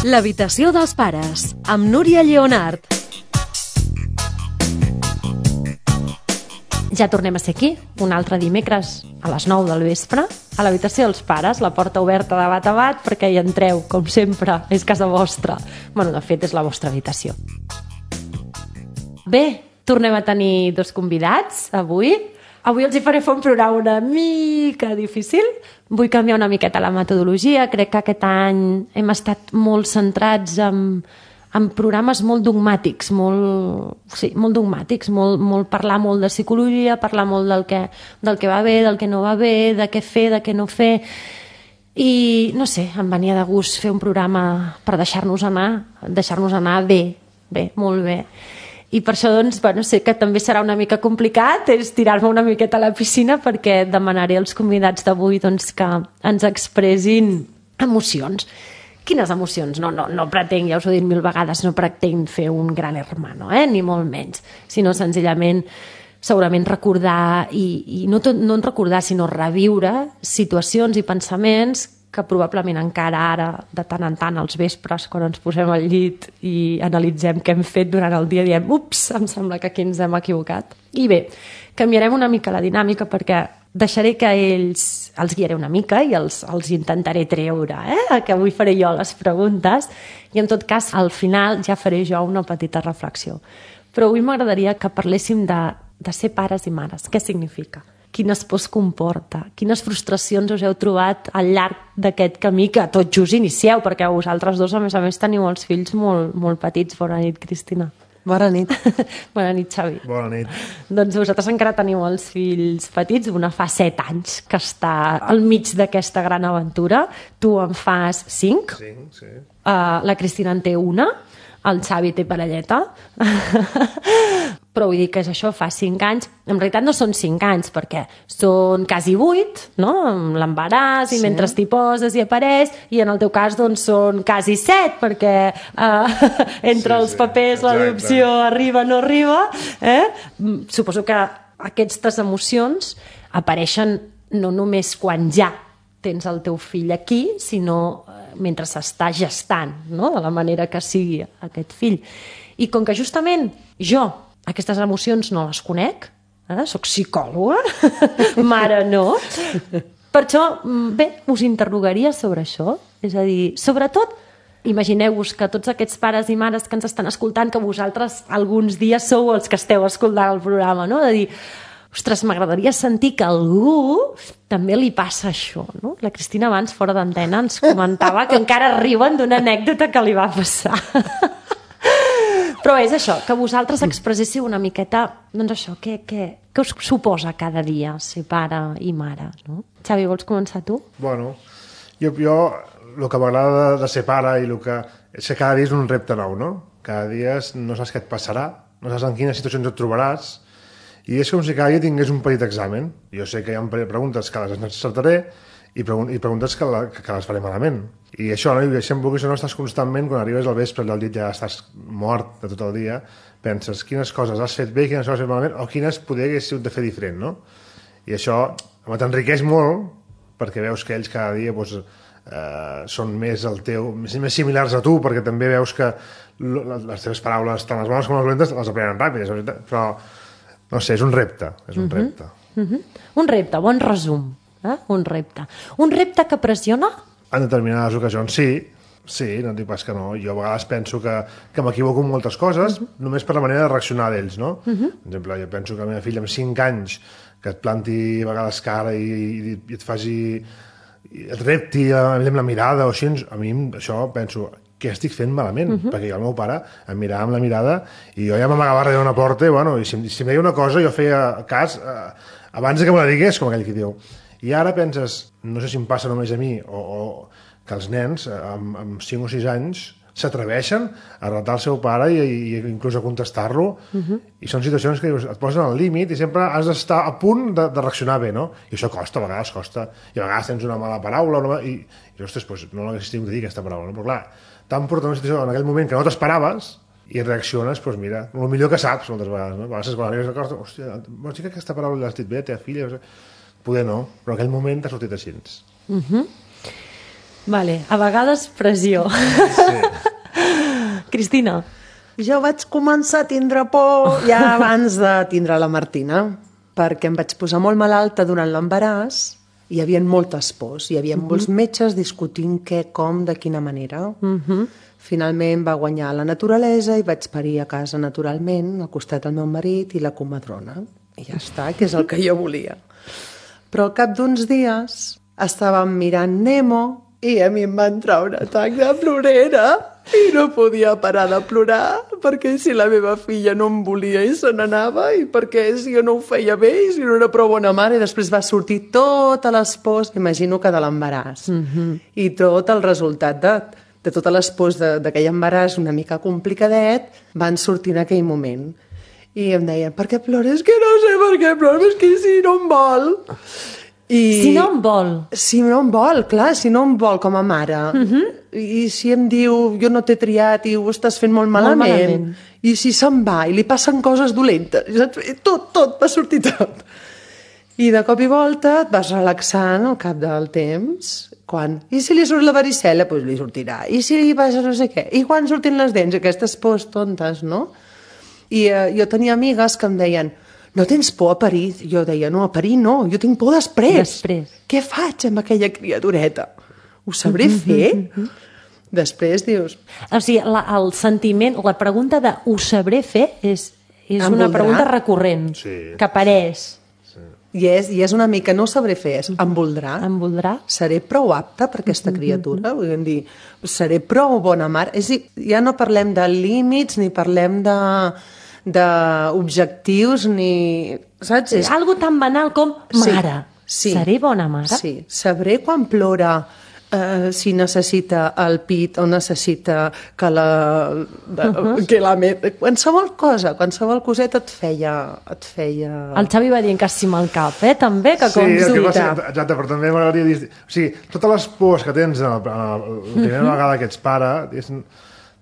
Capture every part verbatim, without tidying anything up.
L'habitació dels pares, amb Núria Lleonart. Ja tornem a ser aquí, un altre dimecres a les nou del vespre, a l'habitació dels pares, la porta oberta de bat a bat perquè hi entreu, com sempre, és casa vostra. Bueno, de fet, és la vostra habitació. Bé, tornem a tenir dos convidats avui. Avui els hi faré fer un programa una mica difícil. Vull canviar una miqueta la metodologia. Crec que aquest any hem estat molt centrats en, en programes molt dogmàtics, molt, sí, molt dogmàtics, molt, molt parlar molt de psicologia, parlar molt del que, del que va bé, del que no va bé, de què fer, de què no fer. I, no sé, em venia de gust fer un programa per deixar-nos anar, deixar-nos anar bé, bé, molt bé. I per això, doncs, bueno, sé que també serà una mica complicat, és tirar-me una miqueta a la piscina, perquè demanaré als convidats d'avui doncs, que ens expressin emocions. Quines emocions? No, no, no pretenc, ja us ho he dit mil vegades, no pretenc fer un gran hermano, eh? Ni molt menys, sinó senzillament segurament recordar, i, i no, tot, no recordar, sinó reviure situacions i pensaments que probablement encara ara, de tant en tant, als vespres, quan ens posem al llit i analitzem què hem fet durant el dia, diem, ups, em sembla que aquí ens hem equivocat. I bé, canviarem una mica la dinàmica perquè deixaré que ells els guiaré una mica i els, els intentaré treure, eh? Que avui faré jo les preguntes i en tot cas al final ja faré jo una petita reflexió. Però avui m'agradaria que parléssim de, de ser pares i mares. Què significa? Quines pors comporta, quines frustracions us heu trobat al llarg d'aquest camí que tot just inicieu, perquè vosaltres dos, a més a més, teniu els fills molt, molt petits. Bona nit, Cristina. Bona nit. Bona nit, Xavi. Bona nit. Doncs vosaltres encara teniu els fills petits, una fa set anys que està al mig d'aquesta gran aventura. Tu en fas cinc. Cinc, sí. Uh, la Cristina en té una. El Xavi té parelleta. Però vull dir que és això, fa cinc anys. En realitat no són cinc anys, perquè són quasi vuit, no? Amb l'embaràs, i sí. Mentre t'hi poses i apareix, i en el teu cas doncs són quasi set, perquè uh, entre sí, els papers sí, l'adopció arriba o no arriba. Eh? Suposo que aquestes emocions apareixen no només quan ja tens el teu fill aquí, sinó mentre s'està gestant, no? De la manera que sigui aquest fill. I com que justament jo aquestes emocions no les conec, eh? Soc psicòloga, mare no, per això, bé, us interrogaria sobre això. És a dir, sobretot, imagineu-vos que tots aquests pares i mares que ens estan escoltant, que vosaltres alguns dies sou els que esteu escoltant el programa, no? De dir, ostres, m'agradaria sentir que a algú també li passa això, no? La Cristina abans, fora d'antena, ens comentava que encara riuen d'una anècdota que li va passar. Però és això, que vosaltres expresséssiu una miqueta, doncs això, què, què, què us suposa cada dia ser pare i mare, no? Xavi, vols començar tu? Bueno, jo, jo el que m'agrada de, de ser pare i el que és que cada dia és un repte nou, no? Cada dia no saps què et passarà, no saps en quines situacions et trobaràs, i és com si cada dia tingués un petit examen. Jo sé que hi ha preguntes que les encertaré i, pregun i preguntes que, la, que, que les faré malament. I això, no? I sempre que no estàs constantment, quan arribes al vespre del llit ja estàs mort de tot el dia, penses quines coses has fet bé, quines coses has fet malament, o quines poder hagués sigut de fer diferent, no? I això t'enriqueix molt, perquè veus que ells cada dia doncs, eh, són més el teu, més, més similars a tu, perquè també veus que les teves paraules, tant les bones com les dolentes, les aprenen ràpides, però no sé, és un repte, és un repte. Uh-huh. Uh-huh. Un repte, bon resum. Eh? Un repte. Un repte que pressiona? En determinades ocasions, sí. Sí, no et dic pas que no. Jo a vegades penso que, que m'equivoco en moltes coses, uh-huh. només per la manera de reaccionar d'ells, no? Uh-huh. Per exemple, jo penso que la meva filla amb cinc anys, que et planti a vegades cara i, i, i et faci... i et repti amb la mirada o així, a mi això penso... què estic fent malament, uh-huh. perquè el meu pare em mirava amb la mirada i jo ja m'amagava darrere d'una porta i, bueno, i si, si em deia una cosa jo feia cas eh, abans que me la digués, com aquell que diu. I ara penses, no sé si em passa només a mi o, o que els nens amb, amb cinc o sis anys s'atreveixen a retar el seu pare i, i inclús a contestar-lo, uh-huh. i són situacions que dius, et posen al límit i sempre has d'estar a punt de, de reaccionar bé, no? I això costa, a vegades costa, i a vegades tens una mala paraula una, i, i ostres, doncs, no l'hagués tingut de dir aquesta paraula, no? Però clar, tan portant una situació en aquell moment que no t'esperaves i reacciones, doncs mira, el millor que saps moltes vegades, no? A vegades quan arribes a cosa, hòstia, vols dir que aquesta paraula l'has dit bé, teva filla? Poder no, però en aquell moment t'ha sortit així. Uh-huh. Vale, a vegades pressió. Sí. Cristina. Jo vaig començar a tindre por ja abans de tindre la Martina, perquè em vaig posar molt malalta durant l'embaràs, hi havia moltes pors, hi havia uh -huh. molts metges discutint què, com, de quina manera. Uh -huh. Finalment va guanyar la naturalesa i vaig parir a casa naturalment, al costat del meu marit i la comadrona. I ja està, que és el que jo volia. Però al cap d'uns dies estàvem mirant Nemo i a mi em va entrar un atac de plorera i no podia parar de plorar perquè si la meva filla no em volia i se n'anava i perquè si jo no ho feia bé i si no era prou bona mare, i després va sortir totes les pors, imagino que de l'embaràs, mm-hmm. i tot el resultat de, de totes les pors d'aquell embaràs una mica complicadet van sortir en aquell moment. I em deien, per què plores? Que no sé per què plores, que si no em vol. I... Si no em vol. Si no em vol, clar, si no em vol com a mare. Uh-huh. I si em diu, jo no t'he triat i ho estàs fent molt malament. Molt malament. I si se'n va i li passen coses dolentes. Tot, tot, va sortir tot. I de cop i volta et vas relaxant al cap del temps. Quan? I si li surt la varicel·la, doncs li sortirà. I si li passa no sé què. I quan surtin les dents? Aquestes pors tontes, no? I eh, jo tenia amigues que em deien, no tens por a parir? Jo deia, no, a parir no, jo tinc por després. Després. Què faig amb aquella criatureta? Ho sabré mm -hmm, fer? Mm -hmm. Després dius... O sigui, la, el sentiment, la pregunta de ho sabré fer és, és em una voldrà? pregunta recurrent, sí. que apareix. Sí. I, és, I és una mica, no ho sabré fer, és, em voldrà? Em voldrà? Seré prou apta per aquesta criatura? Vull dir, seré prou bona mare? És dir, ja no parlem de límits ni parlem de... d'objectius ni... Saps? És... Algo tan banal com mare. Sí, sí. Seré bona mare? Sí. Sabré quan plora eh, si necessita el pit o necessita que la... De, uh -huh. que la met... Qualsevol cosa, qualsevol coseta et feia... Et feia... El Xavi va dient que sí amb el cap, eh? També, que sí, com dubtar. Sí, exacte, però també m'agradaria dir... O sigui, totes les pors que tens la, la, la primera uh -huh. vegada que ets pare,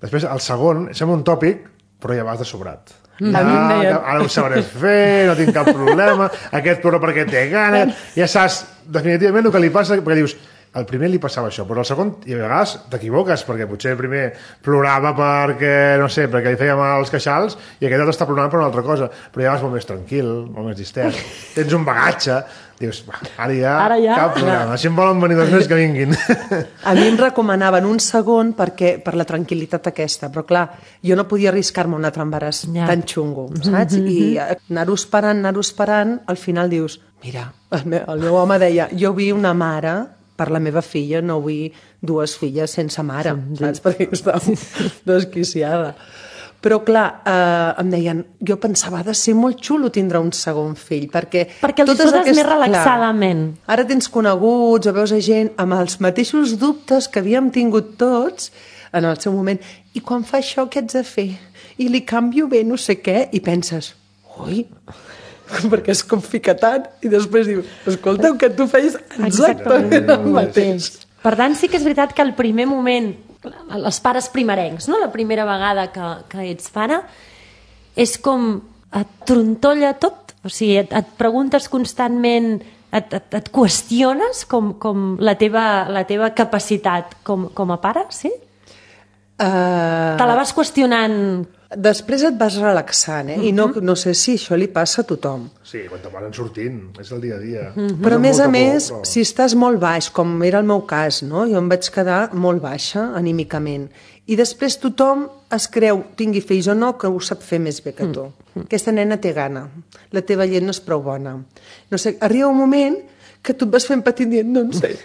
després, el segon, sembla un tòpic, però ja vas de sobrat. Ja, ara ho sabré fer, no tinc cap problema, aquest plora perquè té gana, ja saps definitivament el que li passa, perquè dius, al primer li passava això, però al segon, i a vegades t'equivoques, perquè potser el primer plorava perquè, no sé, perquè li feia mal els queixals, i aquest altre està plorant per una altra cosa, però ja vas molt més tranquil, molt més distès, tens un bagatge, dius, ara ja, ara ja cap problema, no. Si em volen venir dos més que vinguin. A mi em recomanaven un segon perquè, per la tranquil·litat aquesta, però clar, jo no podia arriscar-me un altre embaràs ja. tan xungo, saps? Mm -hmm. I anar-ho esperant, anar-ho esperant, al final dius, mira, el meu, el meu home deia, jo vull una mare per la meva filla, no vull dues filles sense mare, sí, saps? Perquè estava desquiciada. Però clar, eh, em deien, jo pensava, ha de ser molt xulo tindre un segon fill, perquè... Perquè els totes aquest... més relaxadament. Clar, ara tens coneguts o veus a gent amb els mateixos dubtes que havíem tingut tots en el seu moment. I quan fa això, què haig de fer? I li canvio bé no sé què, i penses, ui, perquè es complica tant, i després diu, escolteu, que tu feies exactament el mateix. Per tant, sí que és veritat que el primer moment, els pares primerencs, no? La primera vegada que, que ets pare, és com et trontolla tot, o sigui, et, et preguntes constantment, et, et, et qüestiones com, com la, teva, la teva capacitat com, com a pare, sí? Uh... Te la vas qüestionant... Després et vas relaxant, eh? Uh -huh. I no, no sé si això li passa a tothom. Sí, quan te van sortint, és el dia a dia. Uh -huh. Però a més a més, por, però... si estàs molt baix, com era el meu cas, no? Jo em vaig quedar molt baixa anímicament. I després tothom es creu, tingui fills o no, que ho sap fer més bé que tu. Uh -huh. Aquesta nena té gana, la teva llet no és prou bona. No sé, arriba un moment que tu et vas fent petit dient, no en sé,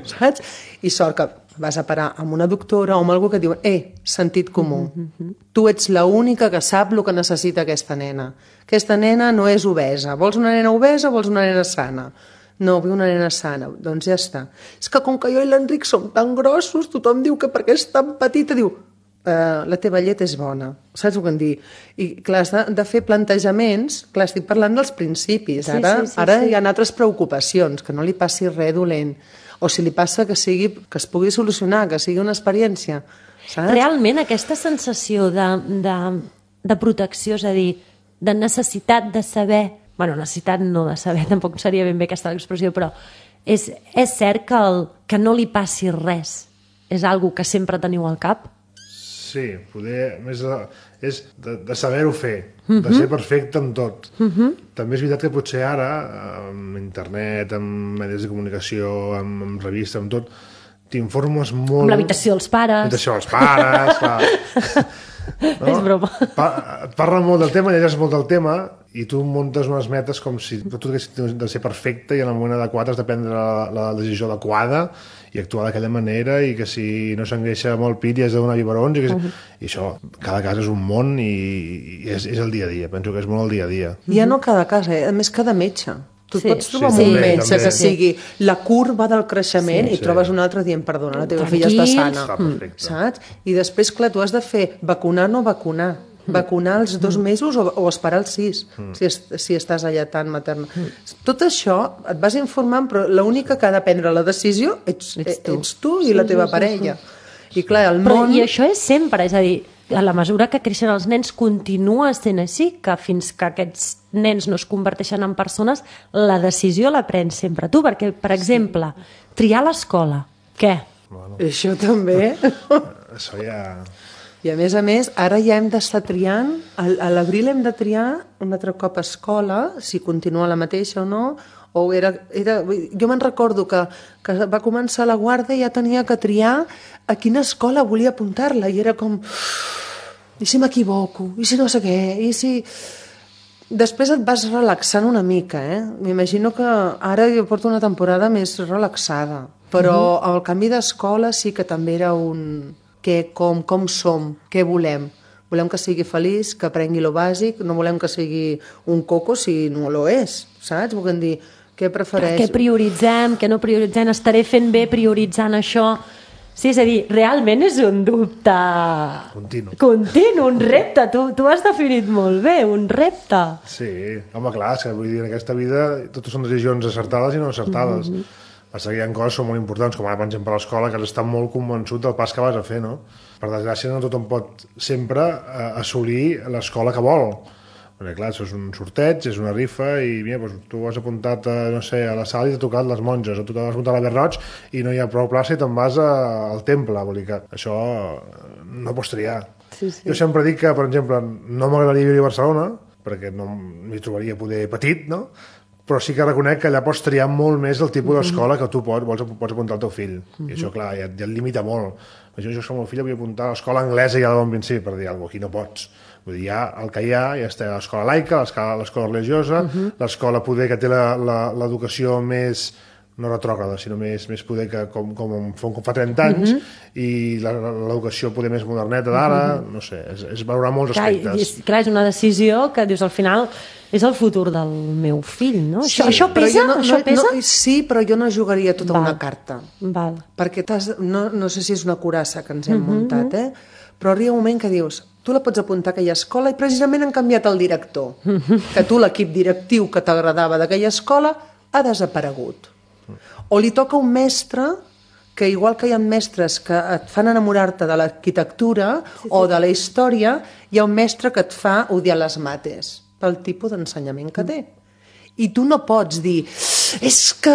saps? I sort que vas a parar amb una doctora o amb algú que diu, eh, sentit comú. Mm-hmm. Tu ets l'única que sap el que necessita aquesta nena. Aquesta nena no és obesa. Vols una nena obesa o vols una nena sana? No, vull una nena sana. Doncs ja està. És que com que jo i l'Enric som tan grossos, tothom diu que perquè és tan petita, diu, eh, la teva llet és bona. Saps el que em dic? I clar, has de, de fer plantejaments, clar, estic parlant dels principis. Ara, sí, sí, sí, ara sí. Hi ha altres preocupacions, que no li passi res dolent. O si li passa que, sigui, que es pugui solucionar, que sigui una experiència. Saps? Realment aquesta sensació de, de, de protecció, és a dir, de necessitat de saber, bueno, necessitat no de saber, tampoc seria ben bé aquesta l'expressió, però És, és cert que, el, que no li passi res és algo que sempre teniu al cap? Sí, poder, més de, és de, de saber-ho fer, uh-huh. de ser perfecte en tot. Uh-huh. També és veritat que potser ara, amb internet, amb medis de comunicació, amb, amb revistes, amb tot, t'informes molt... Amb l'habitació dels pares. L'habitació dels pares, clar. No? És broma. Pa, et parla molt del tema, llegeixes molt del tema i tu muntes unes metes com si tot hagués de ser perfecte i en el moment adequat has de prendre la, la decisió adequada i actuar d'aquella manera i que si no s'engreixa molt pit i has de donar biberons i, que si... uh-huh. i això, cada cas és un món i, i és, és el dia a dia, penso que és molt el dia a dia. Ja no cada cas, eh? A més cada metge. Tu sí. pots trobar sí, un també, metge també. que sigui la curva del creixement Sí, i sí. trobes un altre dient, perdona, la teva Tranquils. filla està sana. Està perfecte. Saps? I després, clar, tu has de fer vacunar o no vacunar. Vacunar als dos mesos o, o esperar els sis, mm. si, es, si estàs allatant materna. Mm. Tot això et vas informant, però l'única que ha de prendre la decisió ets, ets, tu. ets tu i sí, la teva sí, parella. Sí, sí. I clar, el però, món... I això és sempre, és a dir, a la mesura que creixen els nens continua sent així, que fins que aquests nens no es converteixen en persones, la decisió la prens sempre tu, perquè, per exemple, triar l'escola, què? Bueno. Això també... Això ja... I a més a més, ara ja hem d'estar triant, a l'abril hem de triar un altre cop a escola, si continua la mateixa o no, o era... era jo me'n recordo que, que va començar la guarda i ja tenia que triar a quina escola volia apuntar-la, i era com... I si m'equivoco? I si no sé què? I si... Després et vas relaxant una mica, eh? M'imagino que ara jo porto una temporada més relaxada, però uh-huh. el canvi d'escola sí que també era un... Que, com, com som, què volem. Volem que sigui feliç, que aprengui lo bàsic, no volem que sigui un coco si no lo és, saps? Volem dir, què prefereix? Què prioritzem, què no prioritzem, estaré fent bé prioritzant això. Sí, és a dir, realment és un dubte... Continu. Continu, un repte. Tu, tu has definit molt bé, un repte. Sí, home, clar, és que vull dir, en aquesta vida totes són decisions acertades i no acertades. Mm-hmm. Passa que hi ha coses que són molt importants, com ara, per exemple, a l'escola, que has d'estar molt convençut del pas que vas a fer, no? Per desgràcia, no tothom pot sempre eh, assolir l'escola que vol. Perquè, clar, això és un sorteig, és una rifa, i mira, doncs, tu has apuntat, a, no sé, a la sala i t'ha tocat les monges, o tu t'has apuntat a la Verroig i no hi ha prou plaça i te'n vas a, al temple. Vull dir que això no pots triar. Sí, sí. Jo sempre dic que, per exemple, no m'agradaria viure a Barcelona, perquè no m'hi trobaria poder petit, no? Però sí que reconec que allà pots triar molt més el tipus d'escola que tu pots, vols, pots apuntar al teu fill. Uh-huh. I això, clar, ja, ja et limita molt. Jo, jo som el fill, vull apuntar a l'escola anglesa ja de bon principi, per dir alguna cosa, aquí no pots. Vull dir, ja el que hi ha, ja està l'escola laica, l'escola religiosa, uh-huh. l'escola poder que té l'educació més, no retrògrada, sinó més, més poder que com, com, com fa trenta anys, uh-huh. i l'educació poder més moderneta d'ara, uh-huh. no sé, és, és valorar molts clar, aspectes. És, clar, és una decisió que dius al final... És el futur del meu fill, no? Sí, això, això pesa? No, això no, pesa? No, sí, però jo no jugaria tota Val. una carta. Val. Perquè no, no sé si és una curassa que ens hem uh-huh. muntat, eh? Però arriba un moment que dius, tu la pots apuntar a aquella escola i precisament han canviat el director. Uh-huh. Que tu, l'equip directiu que t'agradava d'aquella escola, ha desaparegut. O li toca un mestre que, igual que hi ha mestres que et fan enamorar-te de l'arquitectura sí, sí. o de la història, hi ha un mestre que et fa odiar les mates pel tipus d'ensenyament que té. I tu no pots dir, és que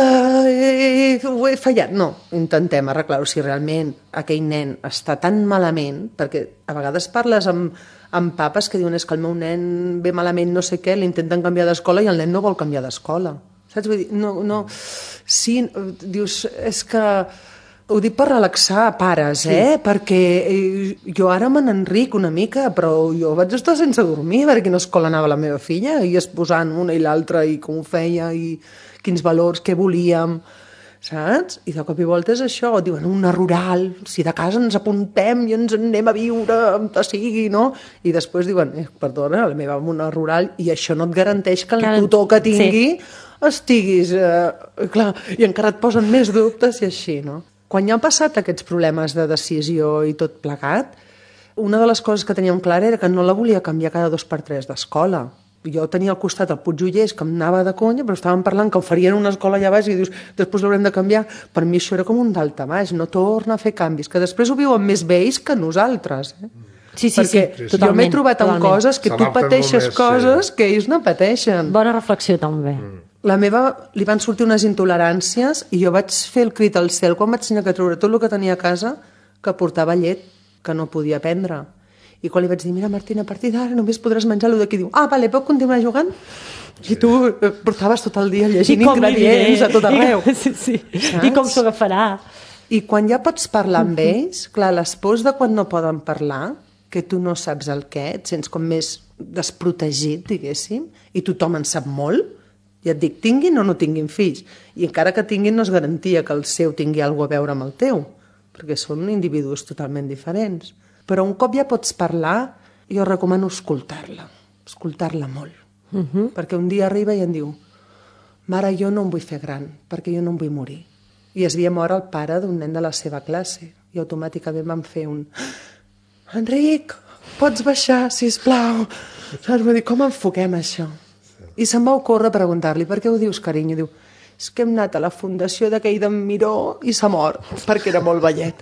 he, ho he fallat. No, intentem arreglar-ho. Si realment aquell nen està tan malament, perquè a vegades parles amb, amb papes que diuen és que el meu nen ve malament no sé què, l'intenten canviar d'escola i el nen no vol canviar d'escola. Saps? Vull dir, no, no... Sí, dius, és que... Ho dic per relaxar pares, eh? Sí. Perquè jo ara me n'enric una mica, però jo vaig estar sense dormir perquè quina escola anava la meva filla i es posant una i l'altra i com ho feia i quins valors, què volíem, saps? I de cop i volta és això, diuen una rural, si de casa ens apuntem i ens anem a viure on sigui, no? I després diuen, eh, perdona, la meva va una rural i això no et garanteix que el tutor que tingui sí. estiguis... Eh, clar, i encara et posen més dubtes i així, no? Quan ja han passat aquests problemes de decisió i tot plegat, una de les coses que teníem clara era que no la volia canviar cada dos per tres d'escola. Jo tenia al costat el Puigjollers, que em anava de conya, però estàvem parlant que oferien una escola allà baix i dius, després l'haurem de canviar. Per mi això era com un daltabaix, no torna a fer canvis, que després ho viuen més vells que nosaltres. Eh? Sí, sí, perquè sí, jo m'he trobat amb totalment. coses que tu pateixes coses que ells no pateixen. Bona reflexió, també. La meva, li van sortir unes intoleràncies i jo vaig fer el crit al cel quan vaig tenir que treure tot el que tenia a casa, que portava llet, que no podia prendre. I quan li vaig dir, mira, Martina, a partir d'ara només podràs menjar allò d'aquí. Diu, ah, vale, puc continuar jugant? I tu portaves tot el dia llegint ingredients a tot arreu. I, sí, sí. I com s'ho agafarà? I quan ja pots parlar amb ells, clar, les pors de quan no poden parlar, que tu no saps el què, et sents com més desprotegit, diguéssim, i tothom en sap molt. Ja et dic, tinguin o no tinguin fills. I encara que tinguin no és garantia que el seu tingui alguna a veure amb el teu, perquè són individus totalment diferents. Però un cop ja pots parlar, jo recomano escoltar-la, escoltar-la molt. Uh -huh. Perquè un dia arriba i em diu, mare, jo no em vull fer gran, perquè jo no em vull morir. I es havia mort el pare d'un nen de la seva classe, i automàticament vam fer un, Enric, pots baixar, sisplau? Saps? Vull dir, com enfoquem això? I se'm va ocórrer preguntar-li, per què ho dius, carinyo? Diu, és que hem anat a la fundació d'aquell d'en Miró i s'ha mort, perquè era molt vellet.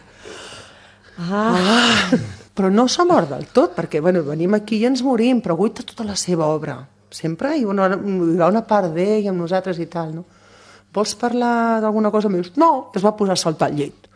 Ah. ah! Però no s'ha mort del tot, perquè bueno, venim aquí i ens morim, però guita tota la seva obra. Sempre hi ha una, hi ha una part d'ell amb nosaltres i tal, no? Vols parlar d'alguna cosa? Em dius, no, es va posar a saltar el llit.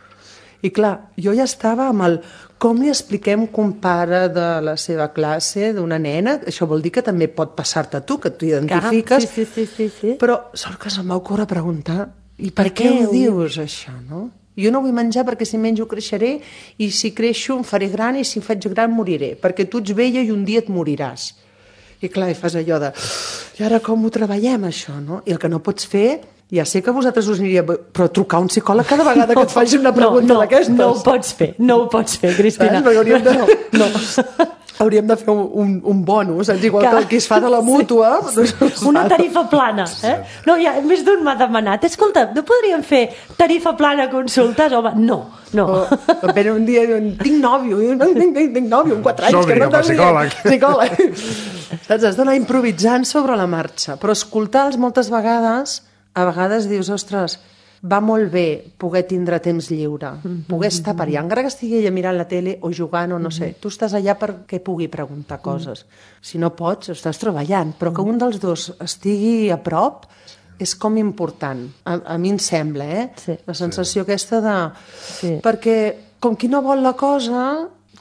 I clar, jo ja estava amb el com li expliquem que un pare de la seva classe, d'una nena, això vol dir que també pot passar-te a tu, que tu identifiques, sí, sí, sí, sí. però sort que se'm va ocórrer preguntar, i per, per què, què ho dius, això, no? Jo no vull menjar perquè si menjo creixeré, i si creixo em faré gran, i si em faig gran moriré, perquè tu ets vella i un dia et moriràs. I clar, i fas allò de, i ara com ho treballem, això, no? I el que no pots fer, ja sé que a vosaltres us aniria, però trucar a un psicòleg cada vegada que et faci una pregunta no, no, d'aquestes. No ho pots fer, no ho pots fer, Cristina. Saps? Perquè hauríem de, no, no. hauríem de fer un, un, un bonus, saps? Igual que el que es fa de la mútua. Sí. Doncs, una tarifa plana, eh? No, ja, més d'un m'ha demanat, escolta, no podríem fer tarifa plana a consultes? Home, no, no. O, o un dia diuen, tinc nòvio, tinc, tinc, tinc nòvio, en quatre anys. Som-hi, que no cap a psicòleg. Psicòleg. Saps? Has d'anar improvisant sobre la marxa, però escoltar-los moltes vegades, a vegades dius, ostres, va molt bé poder tindre temps lliure, poder estar per allà, encara que estigui ella mirant la tele o jugant o no sé, tu estàs allà perquè pugui preguntar coses. Si no pots, estàs treballant, però que un dels dos estigui a prop és com important, a, a mi em sembla, eh? Sí. La sensació sí. aquesta de... Sí. Perquè com qui no vol la cosa...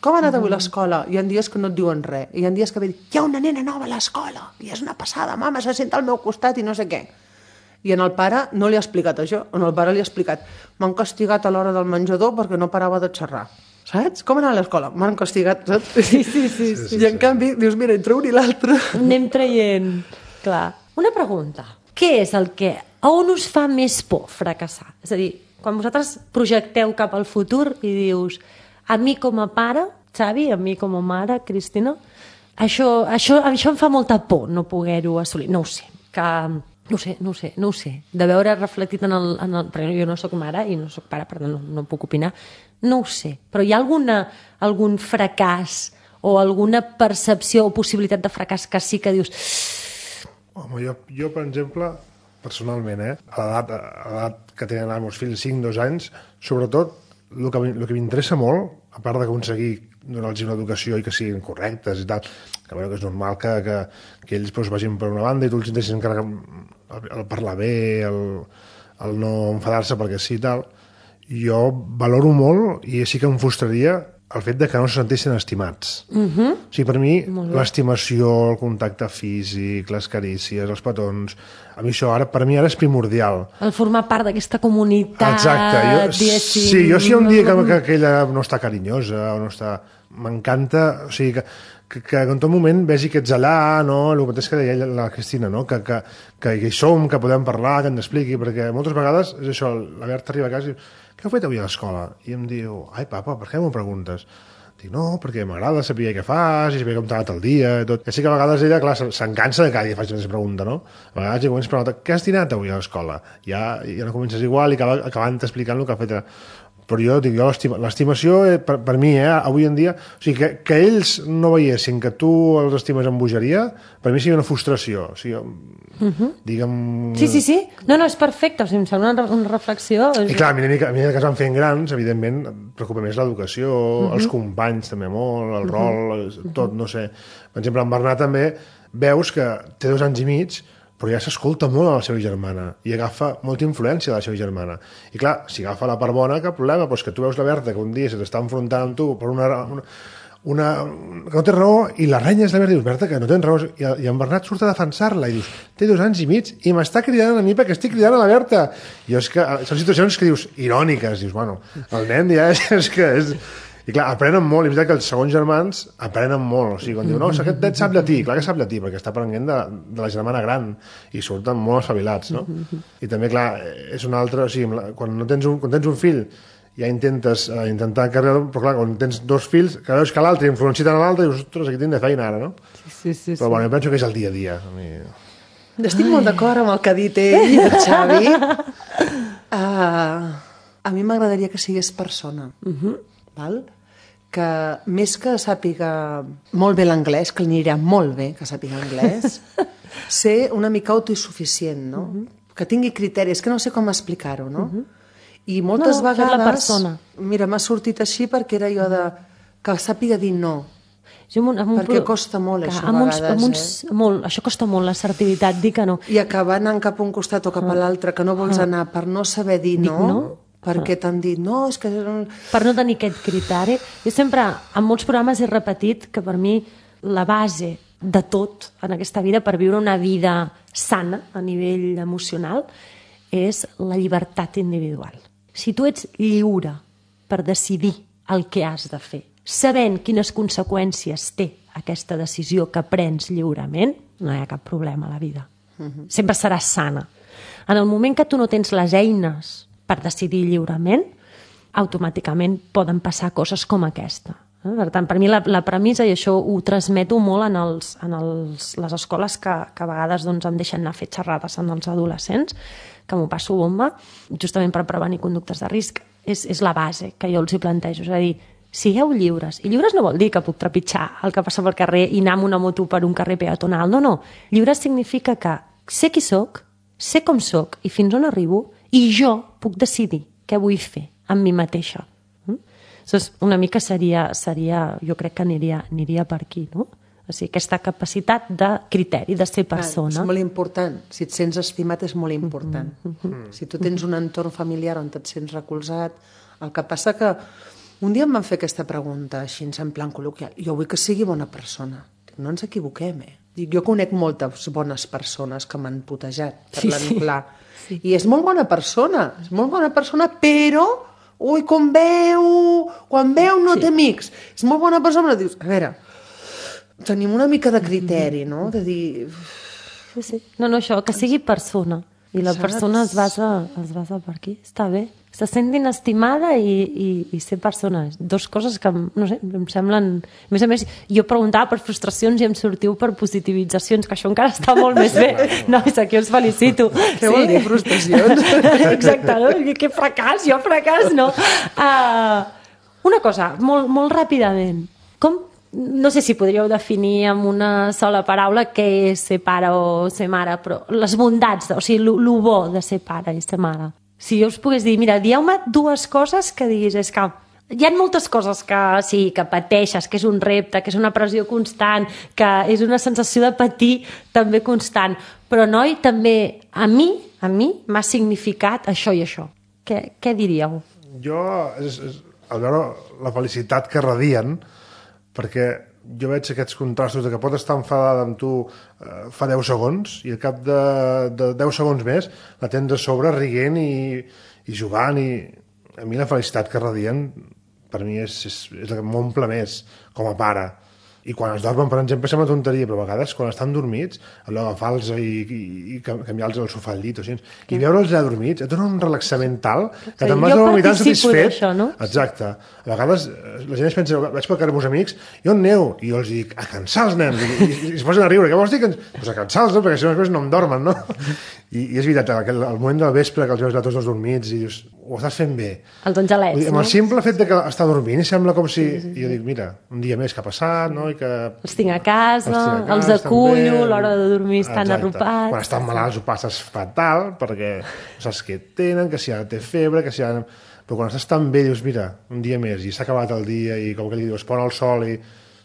Com ha anat avui a l'escola? Hi ha dies que no et diuen res. Hi ha dies que ve dir, hi ha una nena nova a l'escola i és una passada, mama, se senta al meu costat i no sé què. I en el pare no li ha explicat això, en el pare li ha explicat, m'han castigat a l'hora del menjador perquè no parava de xerrar. Saps? Com anar a l'escola? M'han castigat, saps? Sí, sí, sí. sí, I en sí. canvi, dius, mira, entre un i l'altre... Anem traient. Clar. Una pregunta. Què és el que... A on us fa més por fracassar? És a dir, quan vosaltres projecteu cap al futur i dius, a mi com a pare, Xavi, a mi com a mare, Cristina, això, això, això em fa molta por no poder-ho assolir. No ho sé, que... No ho sé, no ho sé, no ho sé. De veure reflectit en el... En el perquè jo no sóc mare i no sóc pare, per tant no, no puc opinar. No ho sé. Però hi ha alguna, algun fracàs o alguna percepció o possibilitat de fracàs que sí que dius... Home, jo, jo per exemple, personalment, eh, a l'edat a l'edat que tenen els meus fills, cinc, dos anys, sobretot, el que, el que m'interessa molt, a part d'aconseguir donar-los una educació i que siguin correctes i tal, que, bueno, que és normal que, que, que ells pues, vagin per una banda i tu els intessis encara el, el parlar bé, el, el no enfadar-se perquè sí i tal. Jo valoro molt i sí que em frustraria el fet de que no se sentissin estimats. Uh-huh. O sigui, per mi, l'estimació, el contacte físic, les carícies, els petons, a mi això ara, per mi ara és primordial. El formar part d'aquesta comunitat, exacte. Jo, diguéssim... sí, jo si hi ha un dia que, que, que ella no està carinyosa o no està... M'encanta, o sigui, que, que, que en tot moment vegi que ets allà, no? El mateix que deia la Cristina, no? Que, que, que hi som, que podem parlar, que ens expliqui, perquè moltes vegades és això, la Berta arriba a casa i diu, què heu fet avui a l'escola? I em diu, ai papa, per què m'ho preguntes? Dic, no, perquè m'agrada saber què fas i saber com t'ha anat el dia i tot. I així que a vegades ella, clar, se'n cansa de cada dia faig aquesta pregunta, no? A vegades ja comences a preguntar, què has dinat avui a l'escola? Ja, ja no comences igual i acaba, acabant explicant el que ha fet. Però jo dic, jo l'estimació per, per mi, eh, avui en dia, o sigui, que, que ells no veiessin que tu els estimes amb bogeria, per mi seria una frustració. O sigui, uh-huh. digue'm... Sí, sí, sí. No, no, és perfecte. O sigui, em sembla una, una reflexió... I clar, a mi, a mi que es van fent grans, evidentment, em preocupa més l'educació, uh-huh. els companys, anys també molt, el rol, tot, no sé. Per exemple, en Bernat també veus que té dos anys i mig, però ja s'escolta molt a la seva germana i agafa molta influència de la seva germana. I clar, si agafa la part bona, cap problema, però és que tu veus la Berta que un dia se t'està enfrontant amb tu per una, una, una, que no té raó i la renya és la Berta i dius, Berta, que no tens raó, i, i en Bernat surt a defensar-la i dius, té dos anys i mig i m'està cridant a mi perquè estic cridant a la Berta. I és que són situacions que dius iròniques, dius, bueno, el nen ja és, és que és... I clar, aprenen molt, i és veritat que els segons germans aprenen molt, o sigui, quan diu, no, aquest nen sap llatí, clar que sap llatí, perquè està aprenent de, de la germana gran, i surten molt espavilats, no? I també, clar, és un altre, o sigui, quan, no tens, un, quan tens un fill, ja intentes uh, intentar encarregar-lo, però clar, quan tens dos fills, que veus que l'altre influencia tant a l'altre, dius, ostres, aquí tinc de feina ara, no? Sí, sí, sí. Però bueno, jo penso que és el dia a dia. A mi... Estic molt d'acord amb el que ha dit ell, el Xavi. Uh, a mi m'agradaria que sigués persona, uh-huh. val? Que més que sàpiga molt bé l'anglès, que li anirà molt bé que sàpiga anglès, ser una mica autosuficient, no? Uh-huh. Que tingui criteris, que no sé com explicar-ho, no? Uh-huh. I moltes no, vegades... la persona. Mira, m'ha sortit així perquè era jo de... que sàpiga dir no. Jo amb un, amb un perquè pro... costa molt, que, això, a vegades. Uns, amb uns, eh? molt, això costa molt, l'assertivitat, dir que no. I acabar anant cap a un costat o cap a l'altre, que no vols anar per no saber dir no... Dic no? Perquè t'han dit, no, és que... Per no tenir aquest criteri. Jo sempre, en molts programes he repetit que per mi la base de tot en aquesta vida, per viure una vida sana a nivell emocional, és la llibertat individual. Si tu ets lliure per decidir el que has de fer, sabent quines conseqüències té aquesta decisió que prens lliurement, no hi ha cap problema a la vida. Uh-huh. Sempre seràs sana. En el moment que tu no tens les eines per decidir lliurement, automàticament poden passar coses com aquesta. Per tant, per mi la, la premissa, i això ho transmeto molt en, els, en els, les escoles que, que a vegades doncs, em deixen anar a fer xerrades en els adolescents, que m'ho passo bomba, justament per prevenir conductes de risc, és, és la base que jo els hi plantejo. És a dir, sigueu lliures. I lliures no vol dir que puc trepitjar el que passa pel carrer i anar amb una moto per un carrer peatonal. No, no. Lliures significa que sé qui sóc, sé com sóc i fins on arribo, i jo puc decidir què vull fer amb mi mateixa. Mm? Doncs una mica seria, seria, jo crec que aniria, aniria per aquí, no? O sigui, aquesta capacitat de criteri, de ser persona. Ah, és molt important. Si et sents estimat és molt important. Mm-hmm. Si tu tens un entorn familiar on et sents recolzat, el que passa que un dia em van fer aquesta pregunta així, en plan col·loquial. Jo vull que sigui bona persona. Dic, no ens equivoquem, eh? Dic, jo conec moltes bones persones que m'han putejat, parlant sí, sí. clar. Sí. I és molt bona persona, és molt bona persona, però, ui, quan veu, quan veu no sí. té amics. És molt bona persona, però dius, a veure, tenim una mica de criteri, no? De dir... Sí, sí. No, no, això, que sigui persona. I la Saps? persona es basa, es basa per aquí. Està bé. Se sentin estimada i, i, i ser persona. Dos coses que, no sé, em semblen... A més a més, jo preguntava per frustracions i em sortiu per positivitzacions, que això encara està molt més bé. No, és aquí us felicito. Què sí? vol dir frustracions? Exacte, no? Que fracàs, jo fracàs, no? Uh, una cosa, molt, molt ràpidament. Com... No sé si podríeu definir amb una sola paraula què és ser pare o ser mare, però les bondats, o sigui, el bo de ser pare i ser mare. Si jo us pogués dir, mira, dieu-me dues coses que diguis, és que hi ha moltes coses que sí, que pateixes, que és un repte, que és una pressió constant, que és una sensació de patir també constant, però noi, també a mi, a mi m'ha significat això i això. Què, què diríeu? Jo, és, és, al veure la felicitat que radien, perquè jo veig aquests contrastos de que pot estar enfadada amb tu eh, fa deu segons i al cap de, de deu segons més la tens a sobre rient i, i jugant i a mi la felicitat que radien per mi és, és, és la que m'omple més com a pare. I quan es dormen, per exemple, sembla tonteria, però a vegades quan estan dormits, allò agafar-los i, i, i canviar-los el sofà al llit, o sigui, i veure'ls ja dormits, et dona un relaxament tal que sí, te'n vas a dormir tan satisfet. Això, no? Exacte. A vegades la gent es pensa, vaig pel carrer amb uns amics, i on aneu? I jo els dic, a cansar els nens. I, i, i es posen a riure. Què vols dir? Pues a cansar-los, no? Perquè si no després no em dormen, no? I, i és veritat, el, el moment del vespre que els veus tots dos dormits i dius, ho estàs fent bé. Els angelets, dir, amb el simple fet de que està dormint i sembla com si... Sí, sí, sí. I jo dic, mira, un dia més que ha passat, no? I que... Els tinc a casa, els, a casa, els acullo, l'hora de dormir estan Exacte. arropats... Quan estan malalts ho passes fatal, perquè saps què tenen, que si ara té febre, que si ara... però quan estàs tan bé dius, mira, un dia més, i s'ha acabat el dia, i com que li dius, pon el sol, i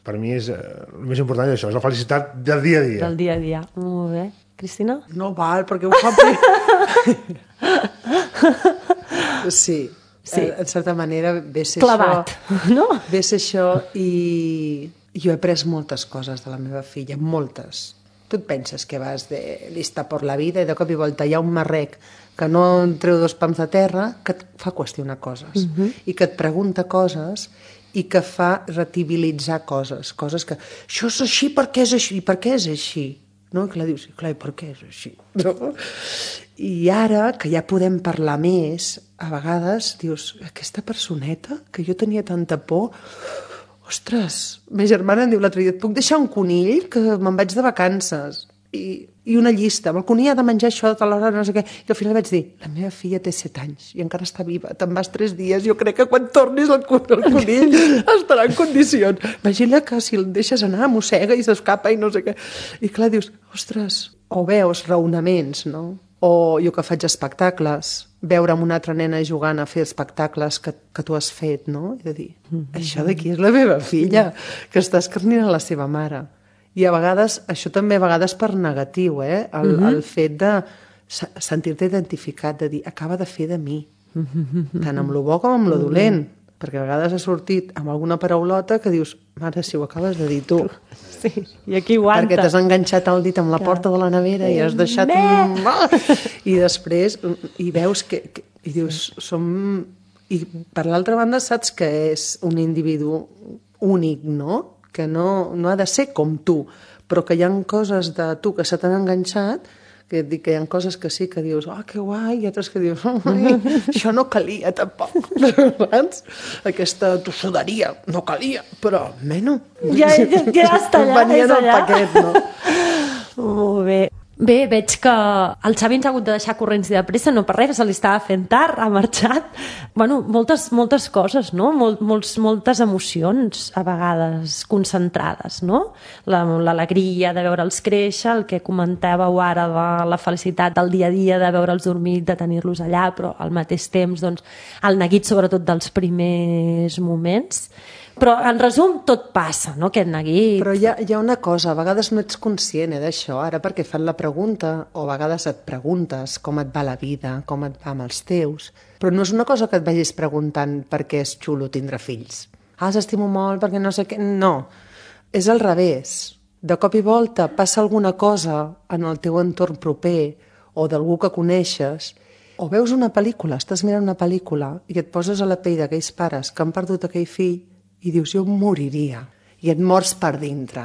per mi és, eh, el més important és això, és la felicitat del dia a dia. Del dia a dia, molt bé. Cristina? No val, perquè ho fa bé. Sí, sí. En certa manera ve ser clavat, això, no? Ve ser això i jo he après moltes coses de la meva filla, moltes. Tu et penses que vas de lista per la vida i de cop i volta hi ha un marrec que no en treu dos pams de terra que et fa qüestionar coses uh-huh. i que et pregunta coses i que fa retibilitzar coses, coses que això és així perquè és així, i per què és així? No? I clar, dius, clar, i per què és així? No? I ara, que ja podem parlar més, a vegades dius, aquesta personeta que jo tenia tanta por, ostres, ma germana em diu l'altre dia, et puc deixar un conill que me'n vaig de vacances? I, i una llista, amb el conill ha de menjar això de l'hora, no sé què. I al final vaig dir, la meva filla té set anys i encara està viva, te'n vas tres dies, jo crec que quan tornis el, el conill estarà en condicions. Imagina que si el deixes anar, mossega i s'escapa i no sé què. I clar, dius, ostres, o veus raonaments, no? O jo que faig espectacles, veure amb una altra nena jugant a fer espectacles que, que tu has fet, no? I de dir, mm-hmm. això d'aquí és la meva filla, que està escarnint a la seva mare. I a vegades, això també a vegades per negatiu, eh? El, mm-hmm. el fet de sentir-te identificat, de dir, acaba de fer de mi, mm-hmm. tant amb lo bo com amb lo dolent, mm-hmm. perquè a vegades ha sortit amb alguna paraulota que dius, mare, si ho acabes de dir tu. Sí, i aquí aguanta. Perquè t'has enganxat el dit amb la porta de la nevera i has deixat... I després, i veus que... que i dius, som... I per l'altra banda saps que és un individu únic, no? Que no, no ha de ser com tu, però que hi ha coses de tu que se t'han enganxat, que et dic que hi ha coses que sí que dius, oh, que guai, i altres que dius, oh, ai, això no calia tampoc. Aquesta tossuderia no calia, però menys. Ja, ja, ja està allà, venia és allà. Paquet, no? Molt bé. Bé, veig que el Xavi ens ha hagut de deixar corrents i de pressa, no per res, se li estava fent tard, ha marxat. Bueno, moltes, moltes coses, no? Mol, molts, moltes emocions, a vegades, concentrades, no? L'alegria de veure'ls créixer, el que comentàveu ara de la felicitat del dia a dia, de veure'ls dormir, de tenir-los allà, però al mateix temps, doncs, el neguit sobretot dels primers moments. Però, en resum, tot passa, no?, aquest neguit. Però hi ha, hi ha una cosa, a vegades no ets conscient eh, d'això, ara perquè fan la pregunta, o a vegades et preguntes com et va la vida, com et va amb els teus, però no és una cosa que et vagis preguntant perquè és xulo tindre fills. Ah, s'estimo molt perquè no sé què... No, és al revés. De cop i volta passa alguna cosa en el teu entorn proper o d'algú que coneixes, o veus una pel·lícula, estàs mirant una pel·lícula i et poses a la pell d'aquells pares que han perdut aquell fill i dius, jo moriria, i et mors per dintre.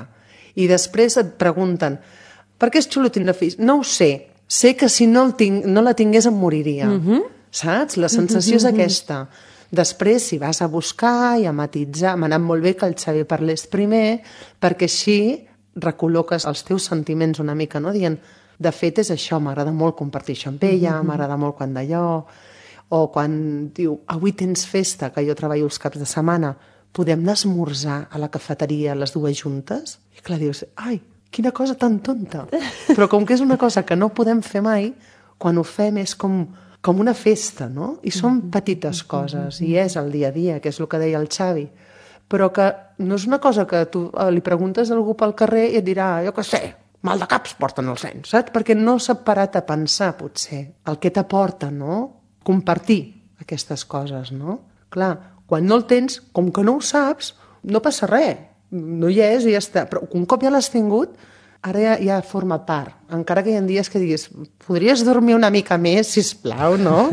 I després et pregunten, per què és xulo tindre fills? No ho sé, sé que si no, el tinc, no la tingués em moriria, mm-hmm. saps? La sensació mm-hmm. és aquesta. Després, si vas a buscar i a matitzar, m'ha anat molt bé que el Xavi parlés primer, perquè així recol·loques els teus sentiments una mica, no? Dient, de fet és això, m'agrada molt compartir això amb ella, mm-hmm. m'agrada molt quan d'allò, o quan diu, avui tens festa, que jo treballo els caps de setmana, podem anar a esmorzar a la cafeteria les dues juntes? I clar, dius, ai, quina cosa tan tonta. Però com que és una cosa que no podem fer mai, quan ho fem és com, com una festa, no? I són petites coses, i és el dia a dia, que és el que deia el Xavi. Però que no és una cosa que tu li preguntes a algú pel carrer i et dirà, jo què sé, mal de caps porten els nens, saps? Perquè no s'ha parat a pensar, potser, el que t'aporta, no? Compartir aquestes coses, no? Clar, quan no el tens, com que no ho saps, no passa res. No hi és i ja està. Però un cop ja l'has tingut, ara ja, ja forma part. Encara que hi ha dies que diguis, podries dormir una mica més, sisplau, no?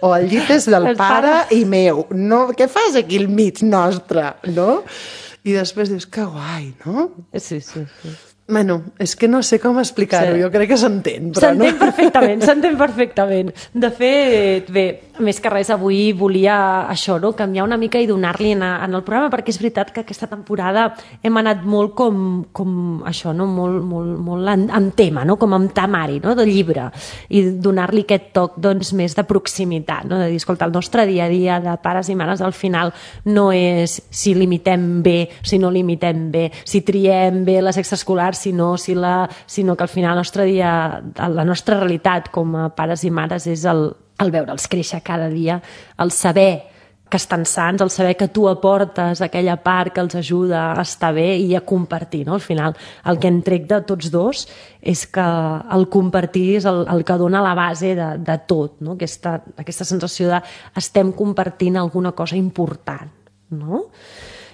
O el llit és del pare i meu. No, què fas aquí al mig nostre, no? I després dius, que guai, no? Sí, sí, sí. Bueno, és que no sé com explicar-ho, sí. Jo crec que s'entén. S'entén no? perfectament, s'entén perfectament. De fet, bé, més que res, avui volia això, no? Canviar una mica i donar-li en, en el programa, perquè és veritat que aquesta temporada hem anat molt com, com això, no? Molt, molt, molt en, en tema, no? Com en temari, no? De llibre, i donar-li aquest toc, doncs, més de proximitat, no? De dir, escolta, el nostre dia a dia de pares i mares al final no és si limitem bé, si no limitem bé, si triem bé les extraescolars, sinó, sinó que al final el nostre dia, la nostra realitat com a pares i mares és el, el veure'ls créixer cada dia, el saber que estan sants, el saber que tu aportes aquella part que els ajuda a estar bé i a compartir, no? Al final, el que en trec de tots dos és que el compartir és el, el que dona la base de, de tot, no? Aquesta, aquesta sensació de estem compartint alguna cosa important, no?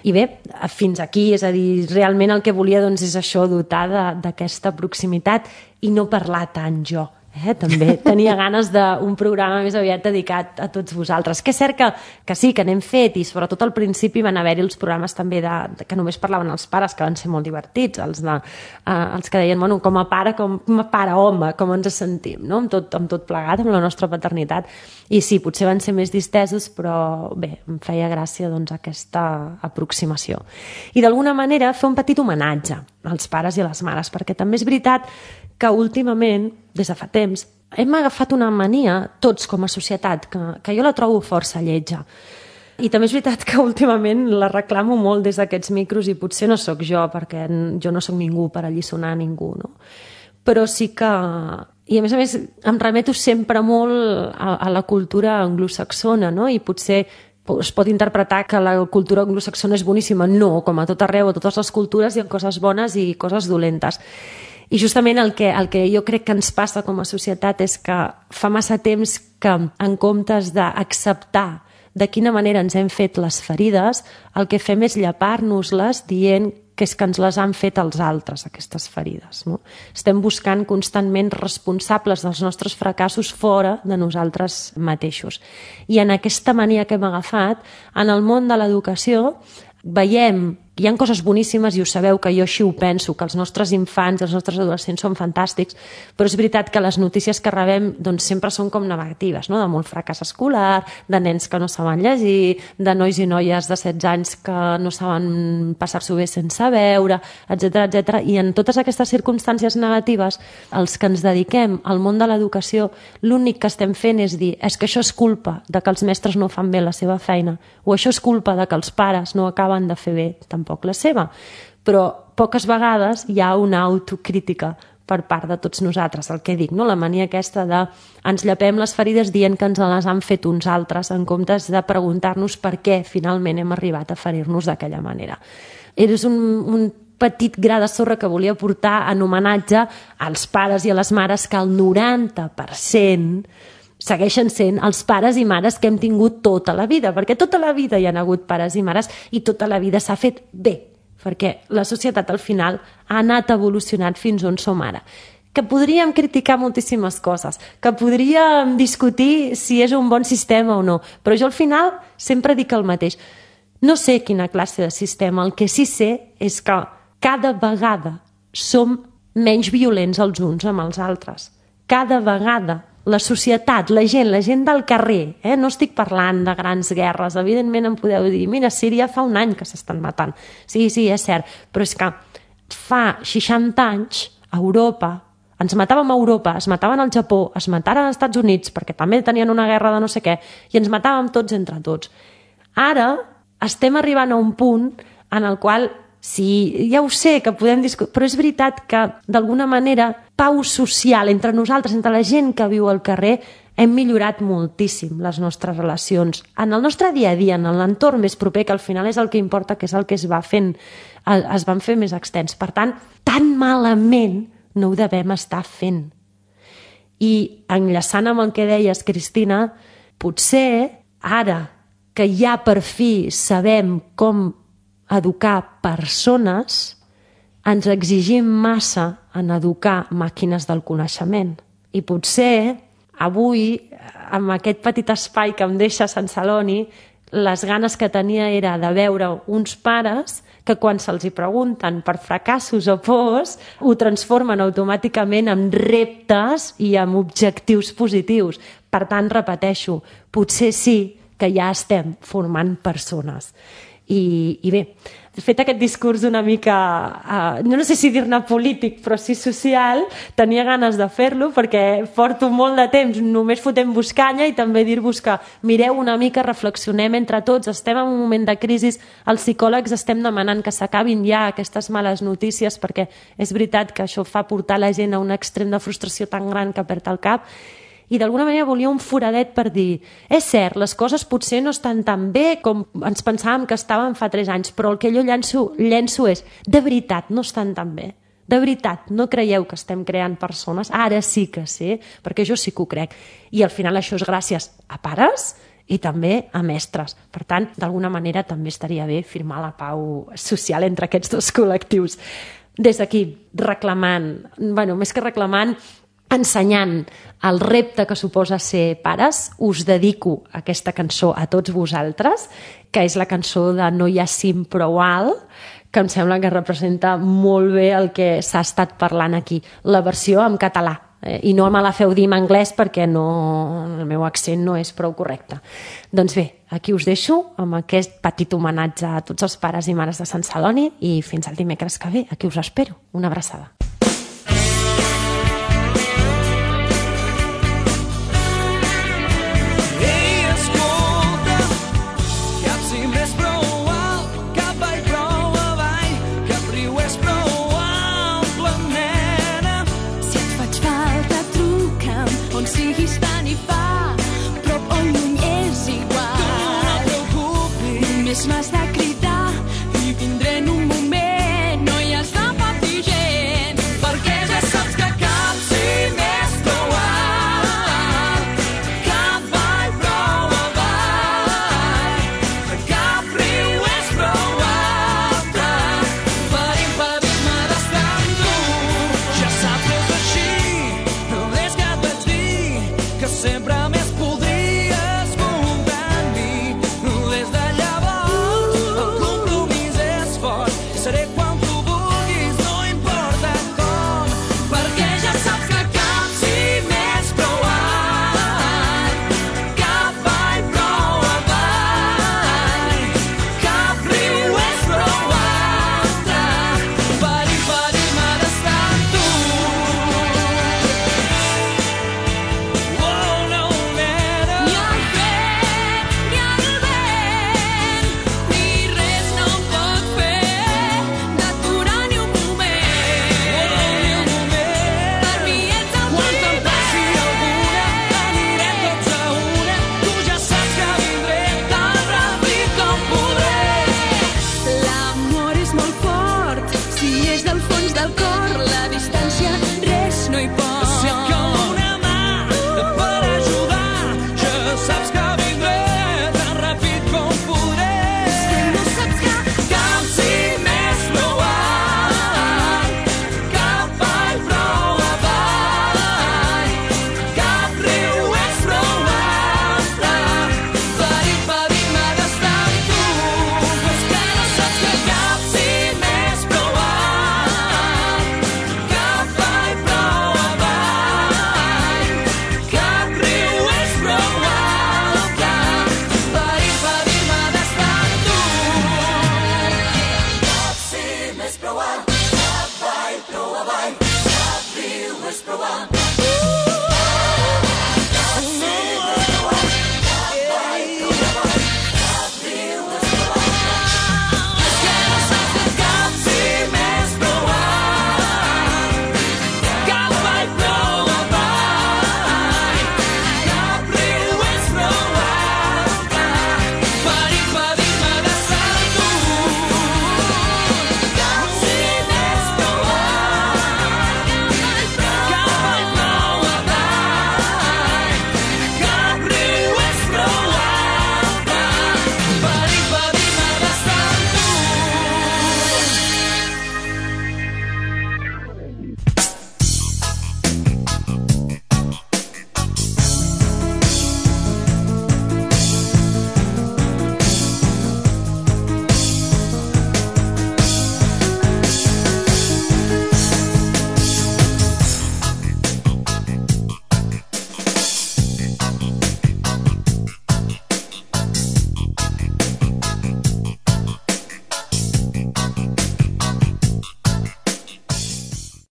I bé, fins aquí, és a dir, realment el que volia doncs, és això, dotar d'aquesta proximitat i no parlar tant jo. Eh, també tenia ganes d'un programa més aviat dedicat a tots vosaltres, que és cert que, que sí, que n'hem fet, i sobretot al principi van haver-hi els programes també de, de, que només parlaven els pares, que van ser molt divertits, els, de, eh, els que deien, bueno, com a pare, com, com a pare home, com ens sentim, no? amb, tot, amb tot plegat, amb la nostra paternitat, i sí, potser van ser més distesos, però bé, em feia gràcia doncs, aquesta aproximació. I d'alguna manera fer un petit homenatge als pares i a les mares, perquè també és veritat que últimament, des de fa temps, hem agafat una mania, tots com a societat, que, que jo la trobo força lletja. I també és veritat que últimament la reclamo molt des d'aquests micros i potser no sóc jo, perquè jo no sóc ningú per alliçonar ningú, no? Però sí que... I a més a més em remeto sempre molt a, a la cultura anglosaxona, no? I potser es pot interpretar que la cultura anglosaxona és boníssima. No, com a tot arreu, a totes les cultures hi ha coses bones i coses dolentes. I justament el que, el que jo crec que ens passa com a societat és que fa massa temps que, en comptes d'acceptar de quina manera ens hem fet les ferides, el que fem és llepar-nos-les dient que és que ens les han fet els altres, aquestes ferides. No? Estem buscant constantment responsables dels nostres fracassos fora de nosaltres mateixos. I en aquesta mania que hem agafat, en el món de l'educació, veiem que hi ha coses boníssimes i ho sabeu que jo així ho penso, que els nostres infants, els nostres adolescents són fantàstics, però és veritat que les notícies que rebem doncs, sempre són com negatives, no? De molt fracàs escolar, de nens que no saben llegir, de nois i noies de setze anys que no saben passar-s'ho bé sense veure, etcètera, etcètera. I en totes aquestes circumstàncies negatives, els que ens dediquem al món de l'educació, l'únic que estem fent és dir és que això és culpa de que els mestres no fan bé la seva feina, o això és culpa de que els pares no acaben de fer bé tampoc la seva, però poques vegades hi ha una autocrítica per part de tots nosaltres, el que dic, no? La mania aquesta de ens llepem les ferides dient que ens les han fet uns altres en comptes de preguntar-nos per què finalment hem arribat a ferir-nos d'aquella manera. És un, un petit gra de sorra que volia portar en homenatge als pares i a les mares que el noranta per cent segueixen sent els pares i mares que hem tingut tota la vida, perquè tota la vida hi ha hagut pares i mares i tota la vida s'ha fet bé, perquè la societat al final ha anat evolucionant fins on som ara. Que podríem criticar moltíssimes coses, que podríem discutir si és un bon sistema o no, però jo al final sempre dic el mateix. No sé quina classe de sistema, el que sí sé és que cada vegada som menys violents els uns amb els altres. Cada vegada la societat, la gent, la gent del carrer, eh? No estic parlant de grans guerres, evidentment em podeu dir, mira, Síria fa un any que s'estan matant. Sí, sí, és cert, però és que fa seixanta anys a Europa, ens matàvem a Europa, es mataven al Japó, es mataren als Estats Units, perquè també tenien una guerra de no sé què, i ens matàvem tots entre tots. Ara estem arribant a un punt en el qual sí, ja ho sé, que podem discutir, però és veritat que, d'alguna manera, pau social entre nosaltres, entre la gent que viu al carrer, hem millorat moltíssim les nostres relacions. En el nostre dia a dia, en l'entorn més proper, que al final és el que importa, que és el que es va fent, es van fer més extens. Per tant, tan malament no ho devem estar fent. I enllaçant amb el que deies, Cristina, potser ara que ja per fi sabem com educar persones, ens exigim massa en educar màquines del coneixement. I potser avui, amb aquest petit espai que em deixa Sant Celoni, les ganes que tenia era de veure uns pares que quan se'ls hi pregunten per fracassos o pors, ho transformen automàticament en reptes i en objectius positius. Per tant, repeteixo, potser sí que ja estem formant persones. I, i bé, fet aquest discurs una mica, uh, no sé si dir-ne polític, però sí social, tenia ganes de fer-lo perquè porto molt de temps només fotent-vos canya i també dir-vos que mireu una mica, reflexionem entre tots, estem en un moment de crisi, els psicòlegs estem demanant que s'acabin ja aquestes males notícies perquè és veritat que això fa portar la gent a un extrem de frustració tan gran que perd el cap. i d'alguna manera volia un foradet per dir, és cert, les coses potser no estan tan bé com ens pensàvem que estaven fa tres anys, però el que jo llenço, llenço és, de veritat, no estan tan bé. De veritat, no creieu que estem creant persones? Ara sí que sí, perquè jo sí que ho crec. I al final això és gràcies a pares i també a mestres. Per tant, d'alguna manera també estaria bé firmar la pau social entre aquests dos col·lectius. Des d'aquí, reclamant, bueno, més que reclamant, ensenyant el repte que suposa ser pares, us dedico aquesta cançó a tots vosaltres, que és la cançó de No hi ha cim prou alt, que em sembla que representa molt bé el que s'ha estat parlant aquí. La versió en català, eh? I no me la feu dir en anglès perquè no, el meu accent no és prou correcte. Doncs bé, aquí us deixo amb aquest petit homenatge a tots els pares i mares de Sant Celoni i fins al dimecres que ve, aquí us espero. Una abraçada. Més m'has de